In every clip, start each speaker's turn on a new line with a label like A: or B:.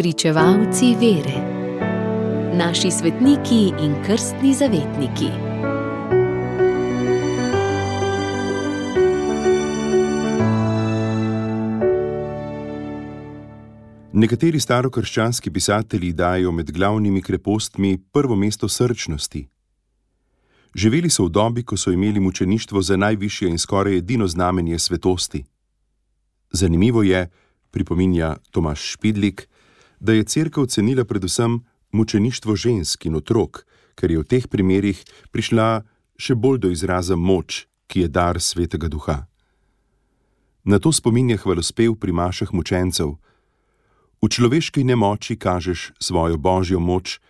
A: Pričevalci vere. Naši svetniki in krstni zavetniki.
B: Nekateri starokrščanski pisatelji dajo med glavnimi krepostmi prvo mesto srčnosti. Živeli so v dobi, ko so imeli mučeništvo za najvišje in skoraj edino znamenje svetosti. Zanimivo je, pripominja Tomaž Špidlik, da je Cerkev cenila predvsem mučeništvo žensk in otrok, ker je v teh primerih prišla še bolj do izraza moč, ki je dar Svetega Duha. Na to spominja hvalospev pri mašah mučencev. V človeški nemoči kažeš svojo božjo moč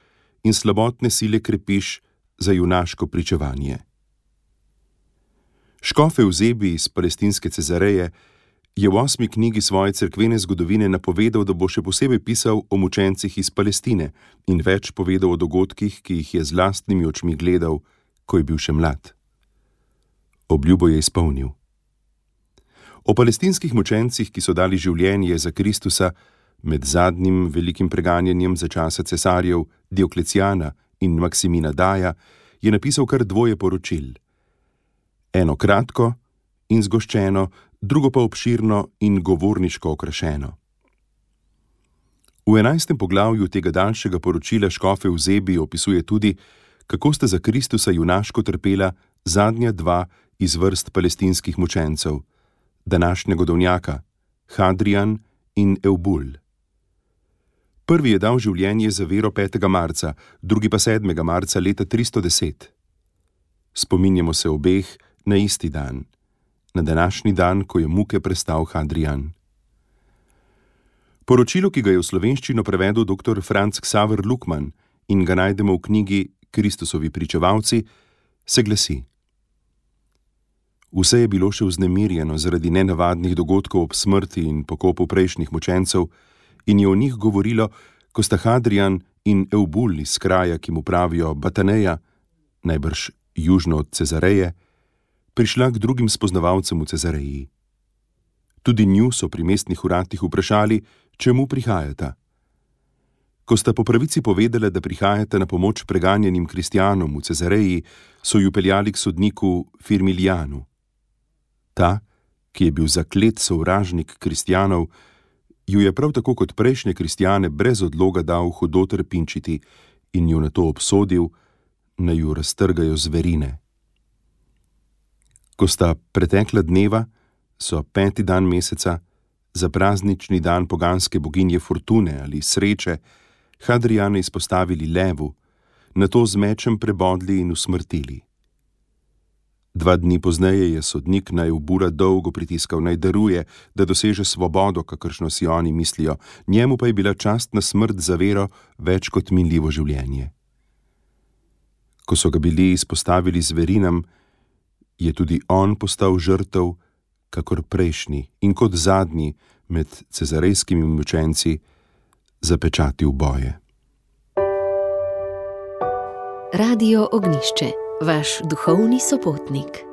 B: in slabotne sile krepiš za junaško pričevanje. Škof Evzebij iz palestinske Cezareje je v 8. knjigi svoje cerkvene zgodovine napovedal, da bo še posebej pisal o mučencih iz Palestine in več povedal o dogodkih, ki jih je z lastnimi očmi gledal, ko je bil še mlad. Obljubo je izpolnil. O palestinskih mučencih, ki so dali življenje za Kristusa, med zadnjim velikim preganjanjem za časa cesarjev Dioklecijana in Maksimina Daja, je napisal kar 2 poročil. Eno kratko in zgoščeno, drugo pa obširno in govorniško okrašeno. V 11. poglavju tega daljšega poročila škof Evzebij opisuje tudi, kako sta za Kristusa junaško trpela zadnja 2 iz vrst palestinskih mučencev, današnja godovnjaka, Hadrijan in Eubul. Prvi je dal življenje za vero 5. marca, drugi pa 7. marca leta 310. Spominjamo se obeh na isti dan, na današnji dan, ko je muke prestal Hadrijan. Poročilo, ki ga je v slovenščino prevedel dr. Franc Ksaver Lukman in ga najdemo v knjigi Kristusovi pričevalci, se glasi: Vse je bilo še vznemirjeno zaradi nenavadnih dogodkov ob smrti in pokopu prejšnjih mučencev in je o njih govorilo, ko sta Hadrijan in Eubul iz kraja, ki mu pravijo Bataneja, najbrž južno od Cezareje, prišla k drugim spoznavalcem v Cezareji. Tudi nju so pri mestnih uradih vprašali, čemu prihajata. Ko sta po pravici povedala, da prihajata na pomoč preganjenim kristjanom v Cezareji, so ju peljali k sodniku Firmilijanu. Ta, ki je bil zaklet sovražnik kristjanov, ju je prav tako kot prejšnje kristjane brez odloga dal hudo trpinčiti in ju nato obsodil, naj ju raztrgajo zverine. Ko sta pretekla dneva, so 5. dan meseca, za praznični dan poganske boginje Fortune ali sreče, Hadrijane izpostavili levu, nato z mečem prebodli in usmrtili. 2 dni pozneje je sodnik na Eubula dolgo pritiskal, naj daruje, da doseže svobodo, kakršno si oni mislijo, njemu pa je bila častna smrt za vero več kot minljivo življenje. Ko so ga bili izpostavili zverinam, je tudi on postal žrtev, kakor prejšnji in kot zadnji med cezarejskimi mučenci zapečatil boje.
A: Radio Ognjišče, vaš duhovni sopotnik.